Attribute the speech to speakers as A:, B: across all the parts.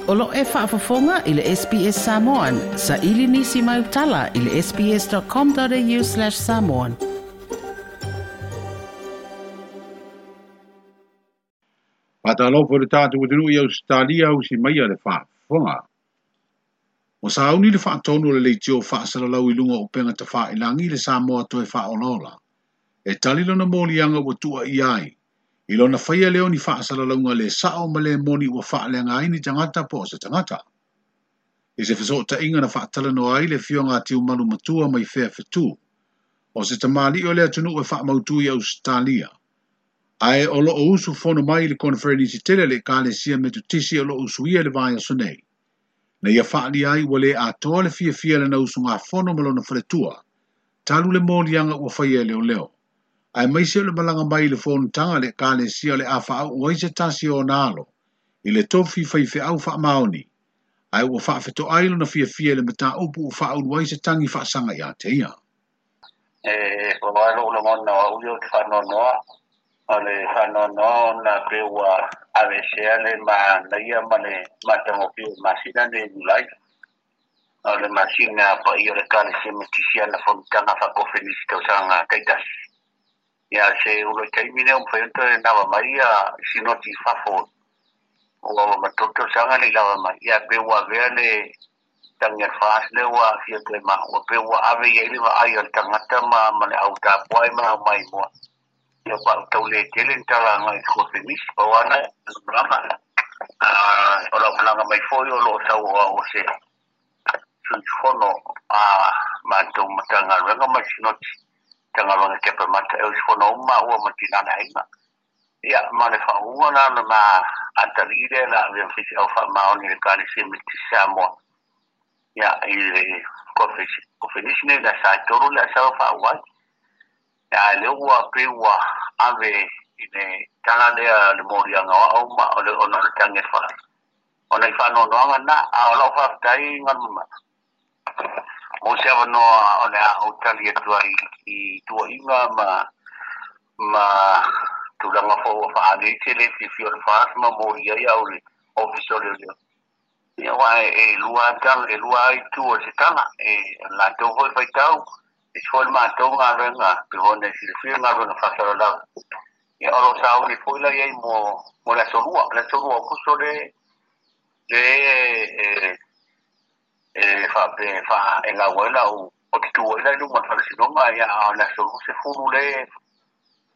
A: O lo e faafofoga i le SBS Samoan. Sa ili nisi mai utala i le sbs.com.au/samoan.
B: Faatalofa i le tatou atunuu i Ausetalia ausi mai le faafofoga. Ua sauni le faatonu o le leitio faasalalau i luga o upega tafailagi le Samoa toe faaolaola. E tali lona moliaga ua tuuaia ai. I lona faia lea o ni faasalalauga le sao ma le moni ua faaleaga ai ni tagata po o se tagata. I se fesootaiga na faatalanoa ai le afioga a Tiumalu Matua mai Fea Fetu, o se tamalii o le atunuu e faamautu i Ausetalia. Ae o loo usufono mai i le koneferenisi tele a le Ekalesia Metotisi o loo usuia i le vaiaso nei. Na ia faaalia ai ua le atoa le fiafia i lana usugafono ma lona faletua, talu le moliaga ua faia e leoleo. Aemaise o le malaga mai i le fonotaga a le Ekalesia o le a faauu ai se tasi o ona alo i le tofi faifeau faamaoni, ae ua faafetoai lona fiafia i le mataupu ua faaulu ai se tagi faasaga ia te ia.
C: E ua lou lagona o au ia ou te faanoanoa, o le faanoanoa ona pei ua aveesea le manaia ma le matagofie o le masina lenei o Iulai. O le masina paia o le Ekalesia Metotisi ana fonotaga faakofelisi tausaga taitasi. Ia se ulu i taimi lea ua mafai ona toe lava mai ia sinoti i fafo ua ua ma tolu tausaga le i lava mai. Ia pe ua avea le tagi a le FAST lea ua aafia toe ma ua pe ua ave i ai le vaai a le tagata ma ma le au tapuai ma le au maimoa. Ia ua tau le tele ni tala agai i le kofemisi. Pau lava na malaga. O lau malaga mai foi o lo o sau o au o se sui usufono a matou Matagaluega ma le Sinoti Matagaluega Kepa Mata e usufono uma maua ma tina le aiga. Ia, ma le faauuga la o le ma atalii lea la avea ma faifeau faamaoni i le Ekalesia Metotisi Samoa, ia, i le kofenisi nei le aso e 3 le aso faauu ai. Ia, ae lea ua pei ua ave i le tala lea le moliaga o au ma o le ona o le tagi a le fale. Ona i faanoanoaga lena, a o lau faafetai Galumalemana mo se avanoa o le a ou tali atu ai i tuuaiga ma tulaga foi ua faaali ai se le fiafia o le FAST ma molia ai au i le Ofisa o Leoleo. Ia, aua e lua lava e lua lava itu o se tala, e latou foi faitau, e isi foi le matou galuega, pei foi ona e silafia le galuega faasalalau. Ia, o lo o sauni foi la i ai mo le aso 2, le aso 2 o Aokuso le e e faapea e faa e lau ai lau o te tu ai la i luma o le faamasinoga, ia, a o le aso 20 le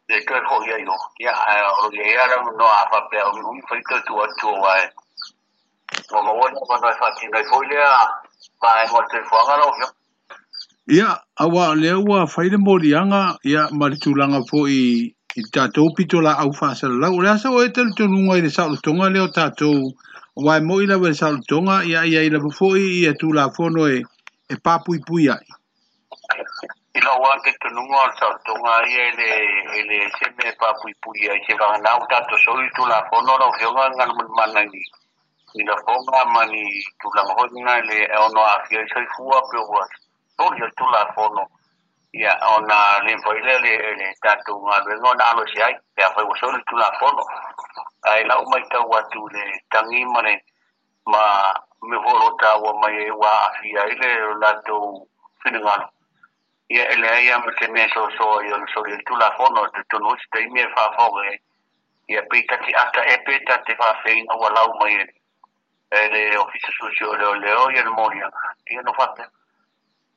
C: le toe foi ai o, ia, ae o lo o i ai lava le avanoa a faapea uiui fai toe tuu atu aua e ua maua le avanoa e faatino ai foi lea vaega o le soifuaga lau Afioga.
B: Ia, aua o lea ua fai le moliaga, ia, ma le tulaga foi i le tatou pitolaau faasalalau. O le a sau ai talitonuga i le saolotoga lea o tatou, aua e moi lava i le saolotoga, ia, e i ai lava foi ia Tulafono e papuipui ai.
C: I lou lava talitonuga o le saolotoga ia e le se mea e papuipui ai seiavagana ua tatou soli le Tulafono lau Afioga Galumalemana i lafoga ma ni tulaga foi na le ono aafia ai soifua pe ua soli le Tulafono, ia ona le mafai lea le tatou galuega ona alo ese ai pe afai ua soli le Tulafono. Ae lau matau atu i le tagi ma le ma mea foi o lo o taua mai ai ua aafia ai le latou finagalo, ia e leai lava ma se mea e soasoa ai ona soli ai le Tulafono. E talitonu foi se taimi e faafofoga ai, ia pe ta te ata ea pe ta te faafeai ina ua lau mai e le Ofisa Suesue o Leoleo ia le moliaga, ia no faapea.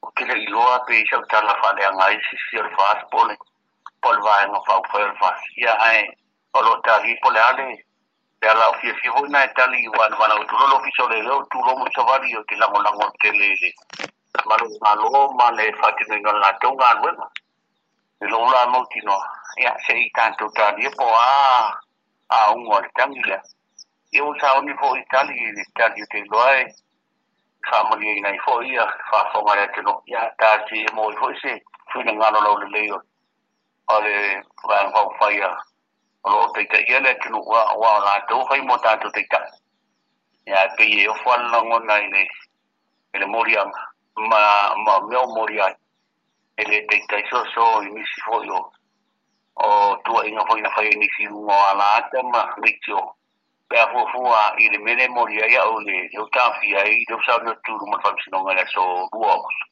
C: Ou te le i iloa pe i sau tala faaleaga ai se isi o le FAST po o le vaega faaupufai o le FAST, ia ae o lo o tali po o le a le ala o fiafia foi na e tali aua na valaau atu loa le Ofisa o Leoleo tu loa ma savali ou te lagolago tele i le malu o le Malo ma le faatinoina o le latou galuega. I lou la mautinoa, ia se i tatou talia po o a auga o le tagi lea. Ia ua sauni foi i tali i le tali ou te iloa e faamalieina ai foi ia faafofoga a le atunuu. Ia tasi e maua ai foi se finagalo laulelei o le Vaega Faaupufai o lo o taitaia le atunuu, aua o latou fai mo tatou taitai. Ia ae pei e ofo lava le lagona i le moliaga ma mea o molia ai. E le taitai soso i nisi foi o tuuaiga foi na fai e nisi i luga o alaata ma leitio. Pe a fuafua i le mea lea e molia ai au le lea ua taofia ai lea ua saunoa atu i luma o le Faamasinoga i le aso 2 o Aokuso.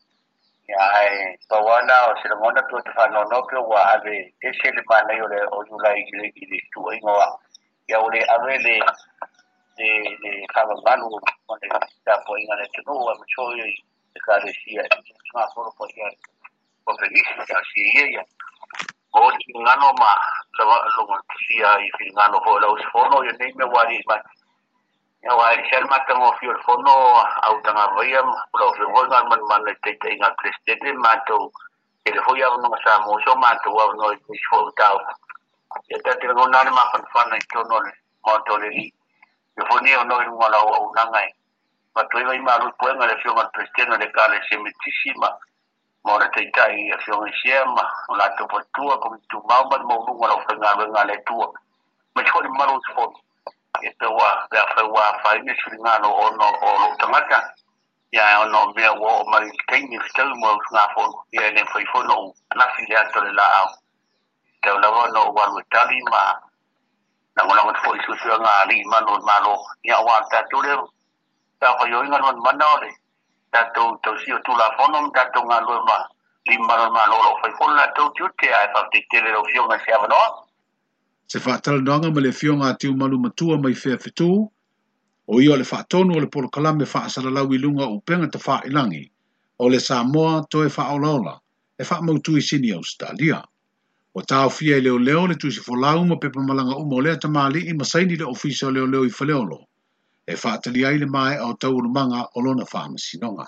C: Ia ae pau lava lena o se lagona pe ou te faanoanoa pe ua ave ese le manaia o le o Iulai i le i le tuuaiga o au. Ia ua le ave le le le faamamalu o le tapuaiga a le atunuu aemaise foi i Ekalesia i le usugafono paia o Fenisi talosia ia ia maua se finagalo ma logotisia i finagalo foi o le auusufono ia nei mea ua aliali mai. Ia aua e ese lava le matagofie o le fono a Utagavaia ma lau Afioga foi Galumalemana i le taitaiga a le Peresetene ma matou tele foi avanoa sa maua so matou avanoa i nisi foi o mataupu. Ia ta te lagona lava le mafanafana i totonu o le Maota o le Alii. Ia foi nei avanoa i luga o lau auaunaga e avatu ai vaimalo i puega i le Afioga i le Peresetene o le Ekalesia Metotisi ma ma ona taitai i Afioga i Sea ma o latou faletua, Komiti Tumau ma le maualuga o le aufaigaluega a le Atua, aemaise foi le mamalu o usufono. Ia pe ua, pe afai ua afaina se finagalo ona o lou tagata, ia ae ona o mea ua oo mai i le taimi e fetaui mo usugafono, ia e le mafai foi ona ou lafi i le ata o le laau. E tatau lava ona ou alu e tali ma lagolago atu foi i suesuega a alii malu o le Malo, ia aua o le tatou lea matafaioi Galumalemana o le tatou tausia o Tulafono ma tatou galulue ma alii mamalu o le Malo o lo o fai foi lo latou tiute, ae faafetai tele i lau Afioga i se avanoa.
B: Se faatalanoaga ma le Afioga a Tiumalu Matua mai Feafetu, o ia o le faatonu o le polokalame faasalalau i luga o upega tafailagi o le Samoa Toe Faaolaola e faamautu i Sini Ausetalia. Ua taofia e leoleo le tusi folau ma pepa malaga uma o lea tamalii ma saini le Ofisa o Leoleo i Faleolo e faatalia ai le maea o taualumaga o lona faamasinoga.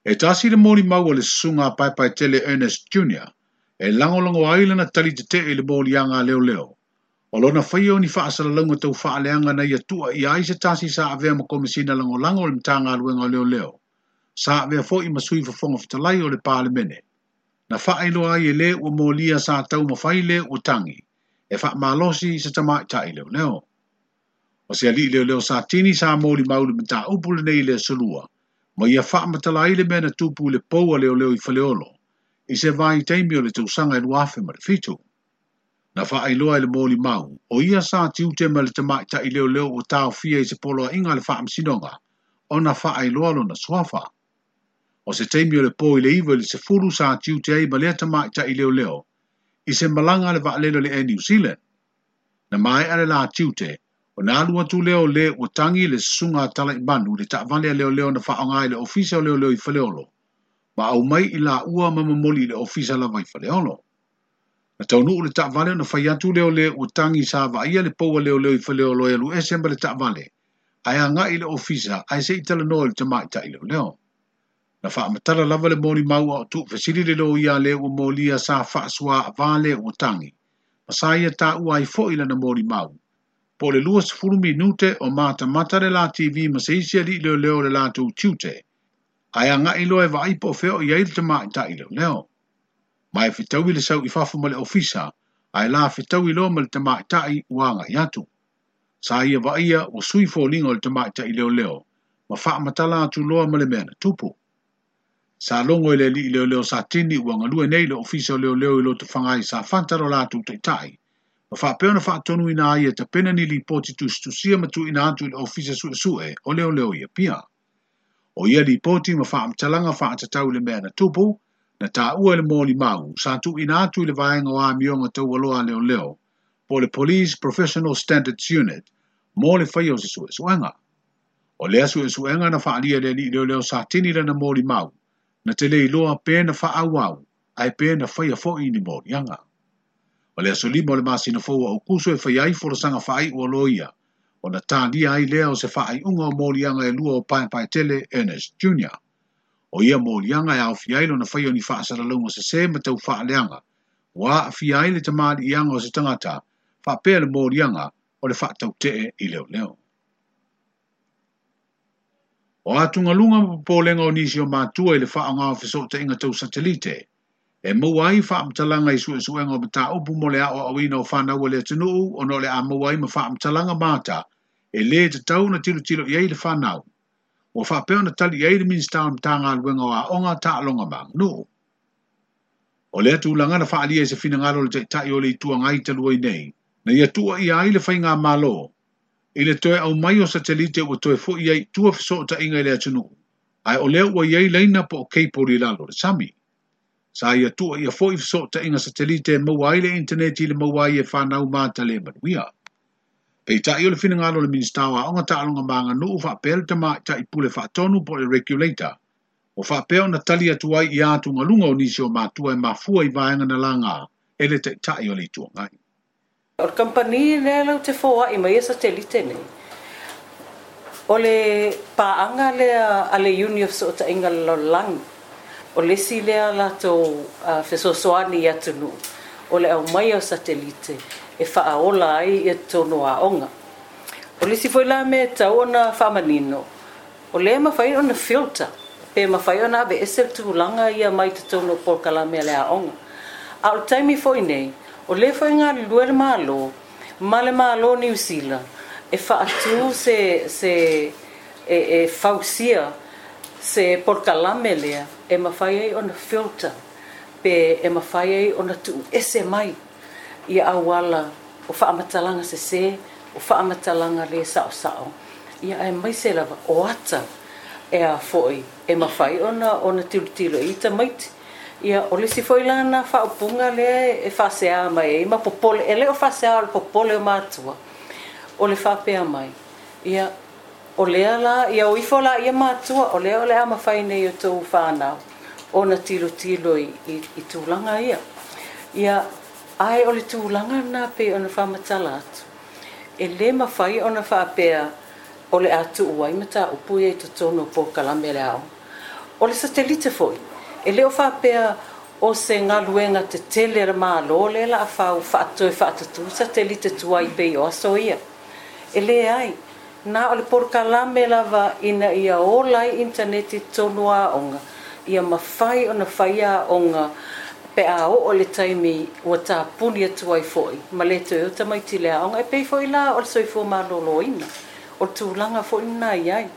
B: E tasi le molimau a le Susuga a Paepaetele Ernest Junior e lagolago ai lana tali tetee i le moliaga a leoleo o lona faia o ni faasalalauga tau faaleaga na ia tuuaia ai se tasi sa avea ma Komesina Lagolago o le Matagaluega o Leoleo, sa avea foi ma Sui Fofoga Fetalai o le Palemene. Na faailoa ai e le ua molia sa taumafai le ua tagi e faamalosi se tamaitai leoleo. O se alii leoleo Satini sa molimau i le mataupu lenei i le Aso Lua, ma ia faamatala ai le mea na tupu i le pou a leoleo i Faleolo i se vaitaimi o le tausaga e 2007. Na faailoa e le molimau, o ia sa tiute ma le tamaitai leoleo ua taofia i se poloaiga a le faamasinoga ona faailoa lona suafa. O se taimi o le po i le 9 i le 10 sa tiute ai ma lea tamaitai leoleo i se malaga a le vaalele o le Air New Zealand. Na maea le la tiute, ona alu atu lea o le ua tagi le susuga a Talaimanu i le taavale a leoleo na faaaoga e le Ofisa o Leoleo i Faleolo, ma aumai i laua ma momoli i le Ofisa lava i Faleolo. Na taunuu le taavale ona fai atu lea o le ua tagi sa vaaia le pou a leoleo i Faleolo e alu ese ma le taavale ae agai i le ofisa ae se i talanoa i le tamaitai leoleo. Na faamatala lava le molimau a o tuufesili le loia a le ua molia sa faasuaavā le ua tagi ma sa ia taua ai foi lana molimau po o le 20 minute o matamata le la TV ma se isi alii leoleo o le latou tiute ae agai loa e vaai po o fea o i ai le tamaitai leoleo. Ma e fetaui le sau i fafo ma le ofisa ae la fetaui loa ma le tamaitai ua agai atu. Sa ia vaaia ua sui foliga o le tamaitai leoleo ma faamatala atu loa ma le mea na tupu. Sa logo e le alii leoleo Satini ua galue nei le Ofisa o Leoleo i Lotofaga i Safata lo latou taitai, ma faapea ona faatonuina ai e tapena ni lipoti tusitusia ma tuuina atu i le Ofisa Suesue o Leoleo i Apia. O ia lipoti ma faamatalaga faatatau i le mea na tupu, na taua e le molimau, sa tuuina atu i le vaega o amioga taualoa a leoleo, po o le Police Professional Standards Unit, mo le faia o se suesuega. O lea suesuega na faaalia e le alii leoleo Satini lana molimau, na te le iloa pe na faaauau ae pe na faia foi ni moliaga. O le aso 5 o le masina fou o Aokuso e faia ai folasaga faaiu a loia, ona talia ai lea o se faaiuga o moliaga e lua o Paepaetele Ernest Junior. O ia moliaga e aofia ai lona faia o ni faasalalauga sesē ma tau faaleaga, ua aafia ai le tamaliiaga o se tagata, faapea le moliaga o le faatautee i leoleo. O atugaluga ma popolega o nisi o matua i le faaaoga o fesootaiga tau satelite, e maua ai faamatalaga i suesuega o mataupu mo le aoaoina o fanau a le atunuu ona o le a maua ai ma faamatalaga mata e lē tatau ona tilotilo i ai le fanau. Ua faapea ona tali i ai le Minisita o le Matagaluega o Aoga, Taaloga ma Aganuu. O lea tulaga na faaalia i se finagalo o le Taitai o le Itu Agai talu ai nei, Na ia tuuaia ai le faigamalo i le toe aumai o satelite ua toe foi ai i tua fesootaiga i le atunuu, ae o lea ua i ai laina po o cable i lalo o le sami. Sa ia tuuaia foi fesootaiga satelite e maua ai le initaneti i le maua ai e fanau mata le manuia. Peitai o le finagalo o le Minisita o Aoga, Taaloga ma Aganuu faapea le Tamaitai Pule Faatonu po o le Regulator, ua faapea ona tali atu ai i atugaluga o nisi o matua e mafua i vaega na laga e le Taitai o le Itu Agai.
A: O le kamupani lea latou te foai mai ia satelite nei, o le paaga lea a le Iuni o Fesootaiga o le Lalolagi. O le isi lea latou fesoasoani i atunuu, o le aumaia o satelite e faaola ai ia totonu o aoga. O le isi foi la mea e tatau ona faamanino, o lea e mafai ona filter, pe mafai ona aveese le tulaga ia mai totonu o polokalame a le aoga. A o le taimi foi nei, o lea foi e galulue le Malo ma le Malo o Niu Sila e faatu se se e fausia se polokalame lea e mafai ai ona filter pe e mafai ai ona tuuese mai ia auala o faamatalaga sese, o faamatalaga le saosao, ia aemaise lava o ata e a foi e mafai ona tilotilo i ai tamaiti. Ia, o le isi foi la lena faaupuga lea e faasea mai ai ma popole, e le o faasea o le popole o matua, o le faapea mai, ia, o lea la, ia o ifo laia matua, o lea o le a mafai nei e outou fanau ona tilotilo i tulaga ia. Ia, ae o le tulaga lena pei ona faamatala atu, e le mafai ona faapea o le a tuu ai mataupu ia i totonu o polokalame a le aoga. O le satelite foi, e le o faapea o se galuega tetele a le Malo lea o le a fau toe faatutū satelite tuai pei o aso ia. E leai, na o le polokalame lava ina ia ola ai initaneti i totonu o aoga, ia mafai ona fai aoga pe a oo i le taimi ua tapuni atu ai foi ma le toe o tamaiti i le aoga. E pei foi la o le soifua maloloina, o le tulaga foi lena e i ai.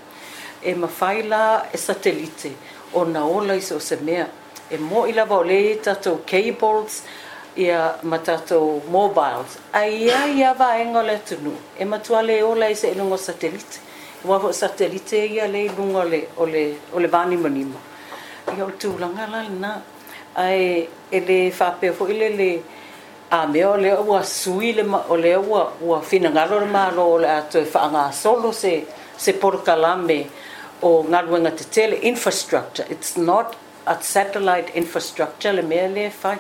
A: E mafai la e satelite ona ola i so o se mea. E moni lava o lea e i ai tatou cables ia ma tatou mobiles, ae i ai lava vaega o le atunuu e matua le ola ai seiloga o satelite. Aua foi o satelite ia lea e i luga o le vanimonimo. Ia o le tulaga la lena. Ae e le faapea foi lele a mea o lea ua sui le o lea ua finagalo le Malo o le a toe faagasolo se polokalame o galuega tetele, infrastructure. It's not a satellite infrastructure le mea lea e fai.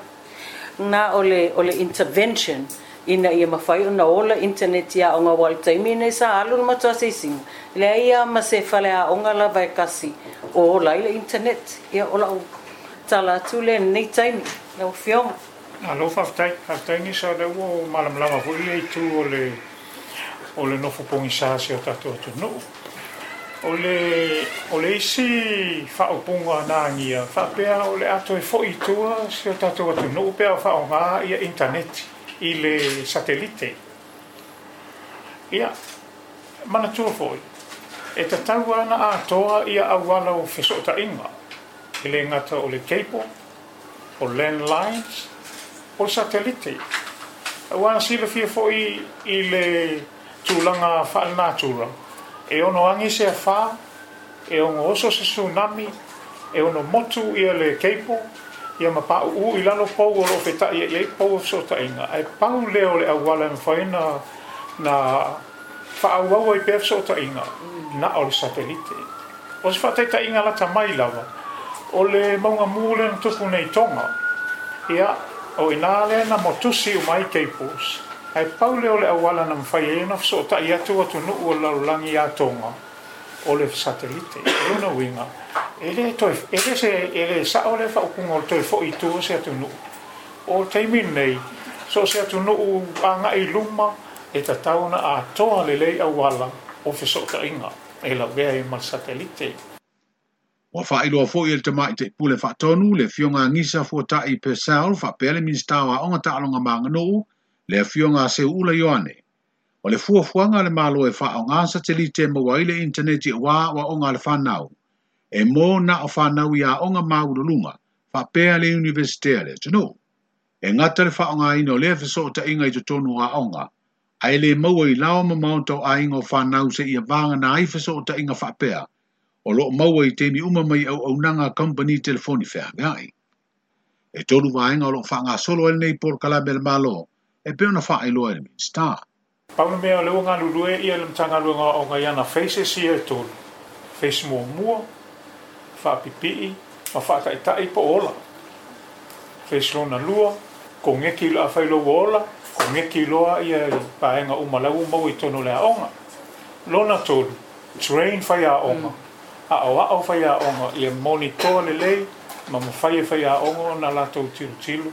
A: Na o le intervention ina ia mafai ona ola internet i aoga, aua o le taimi nei sa alu le matou asiasiga, leai lava ma se faleaoga lava e kasi o ola ai le internet. Ia, o lau tala atu lea i lenei taimi, lau Afioga.
D: Malo faafetai, faafetai Gisa, o lea ua malamalama foi ia itu o le nofo pogisa si o tatou atunuu. O le isi faaupuga na agia faapea o le a toe foi i tua si o tatou atunuu pe a faaaoga ia intaneti i le satelite. Ia, manatua foi, e tatau ana atoa ia auala o fesootaiga, e le gata o le cable, o landlines, o le satelite. Aua silafia foi i le tulaga faalenatura, e ono agi se afā, e ono oso se tsunami, e ono motu ia le cable, ia ma pauu i lalo pou o loo feta'i ai pou o fesootaiga. Ae pau lea o le auala e mafai na faaauau ai pea fesootaiga na o le satelite. O se faataitaiga lata mai lava, o le mauga mū lea na tupu nei Toga. Ia, o inā lea na motusi uma ai cables. Ae pau lea o le auala na mafai ai ona fesootai atu atunuu o le lalolagi ia Toga, o le satelite. O lona uiga, e le toe, e le se, e le sao le faaupuga o le toe foi i tua se atunuu. O le taimi lenei, so o se atunuu agai i luma, e tatau ona atoa lelei auala o fesootaiga e lavea ai ma le satelite.
B: Ua faailoa foi e le Tamaitai Pule Faatonu, le Afioga Gisa Fuatai Purcell, faapea le Minisita o Aoga, Taaloga ma Aganuu, le Afioga Seuula Ioane, o le fuafuaga a le Malo e faaaoga satelite e maua ai le initaneti aua aoaoga a le fanau, e mo na o fanau i aoga maualuluga faapea le Iunivesite a le atunuu. E gata le faaaogaina o lea fesootaiga i totonu o aoga. Ae le maua i laoa ma maota o aiga o fanau seia vagana ai fesootaiga faapea o loo maua i taimi uma mai auaunaga a kamupani telefoni feaveai. E tolu vaega o loo faagasolo ai lenei polokalame a le Malo e pei ona faailoa e le Minisita.
D: Pau le mea o lea ua galulue ia le Matagaluega o Aoga i ana phases ia e tolu, phase muamua, faapipii ma faataitai po o ola. Phase lona lua, koneki loa, afai loa ua ola, koneki loa ia i vaega uma la ua maua i totonu o le aoga. Lona tolu, train faiaoga, aoao faiaoga ia monitoa lelei ma mafai e faiaoga ona latou tilotilo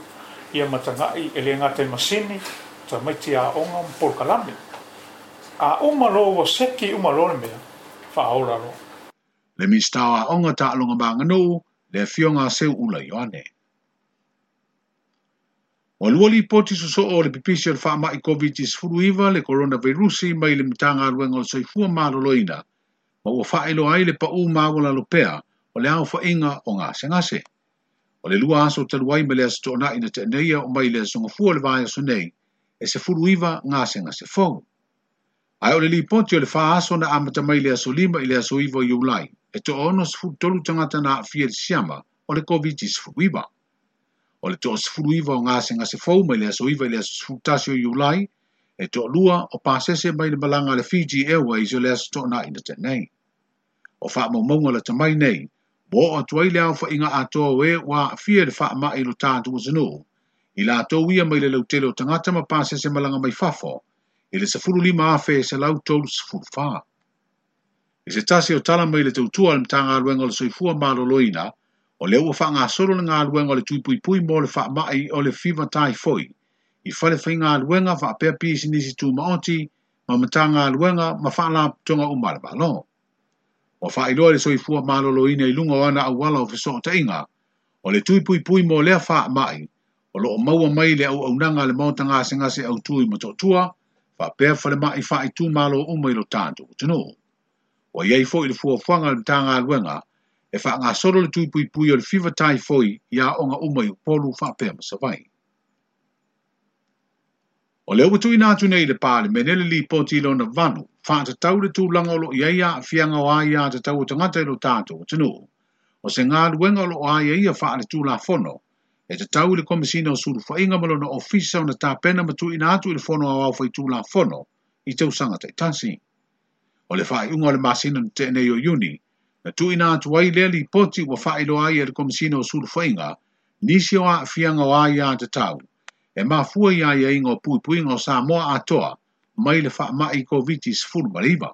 D: ia ma tagai e le gata i masini, tamaiti aoga ma polokalame. A uma loa ua seki uma loa le mea, faaola loa.
B: Le Minisita o Aoga, Taaloga ma Aganuu, le Afioga a Seuula Ioane. Ua lua lipoti sosoo o le pipisi o le faamai Koviti-19, le koronavairusi, mai le Matagaluega o le Soifua Maloloina, ma ua faailoa ai le pau maualalo pea o le aofaiga o gasegase. O le lua aso talu ai mai le Aso Toonai na tea nei e oo mai i le Aso Gafua o le vaiaso nei, e 19 gasegase fou. Ae o le lipoti o le fa aso na amata mai le aso 5 i le aso 9 o Iulai, e toa-63 tagata na aafia i le siama o le Koviti-19. O le toa-19 o gasegase fou mai le aso 9 i le aso 11 o Iulai, e toalua o pasese mai le malaga a le Fiji Airways o le Aso Toonai na tea nei. O faamaumauga lata mai nei, ua oo atu ai le aofaiga atoa o e ua aafia i le faamai i lo tatou atunuu, i latou ia mai le lautele o tagata ma pasese malaga mai fafo, i le 15,134. I se tasi o tala mai le tautua a le Matagaluega o le Soifua Maloloina, o lea ua faagasolo le galuega o le tuipuipui mo le faamai o le fiva taifoi i fale faigaluega faapea pisinisi tumaoti ma Matagaluega ma Faalapotopotoga uma a le Malo. Ua faailoa e le Soifua Maloloina i luga o ana auala o fesootaiga, o le tuipuipui mo lea faamai o lo o maua mai le auaunaga a le Maota Gasegase Autu i Motootua faapea falemai faaitumalo uma i lo tatou atunuu. Ua i ai foi le fuafuaga a le Matagaluega e faagasolo le tuipuipui o le fiva taifoi i aoga uma i Upolu faapea ma Savaii. O lea ua tuuina atu nei i le Palemene le Lipoti lona valu, faatatau le tulaga o lo o i ai aafiaga o aiatatau a tagata i lo tatou atunuu. O se galuega o lo o aiaia faaletulafono, e tatau i le Komesina o Sulufaiga ma lona Ofisa ona tapena ma tuuina atu i le Fono Aoao Faitulafono i tausaga taitasi. O le faaiuga o le masina na tea nei o Iuni, na tuuina atu ai lea lipoti ua faailoa ai e le Komesina o Sulufaiga nisi o aafiaga o aiatatau e mafua i aiaiga o puipuiga o Samoa atoa mai le faamai Koviti-19.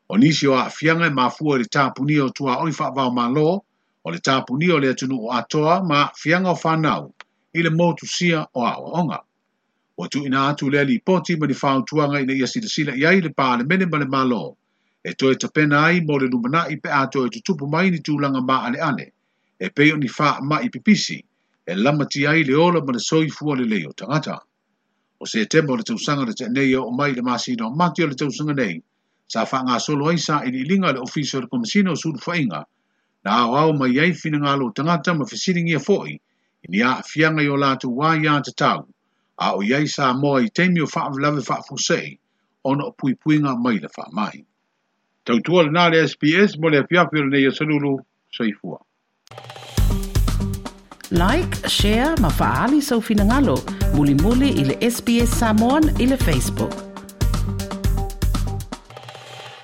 B: O nisi o aafiaga e mafua i le tapunia o tuaoi faava-o-Malo, o le tapunia o le atunuu atoa ma aafiaga o fanau i le motusia o aoaoga. Ua tuuina atu lea lipoti ma ni fautuaga ina ia silasila i ai le Palemene ma le Malo e toe tapena ai mo le lumanai pe a toe tutupu mai ni tulaga maaleale e pei o ni faamai pipisi e lamatia ai le ola ma le soifua lelei o tagata. O Setema o le tausaga na tea nei e oo mai i le masina o Mati o le tausaga nei, sa faagasolo ai sailiiliga a le Ofisa o le Komesina o Sulufaiga na aoao mai ai finagalo o tagata ma fesiligia foi i ni aafiaga i o latou aiatatau a o i ai Samoa i taimi o faalavelave faafuasei ona o puipuiga mai le faamai. Tautua lena le SBS mo le afiafi o lenei aso Lulu. Soifua.
A: Like, share ma faaali sou finagalo mulimuli i le SBS Samoan i le Facebook.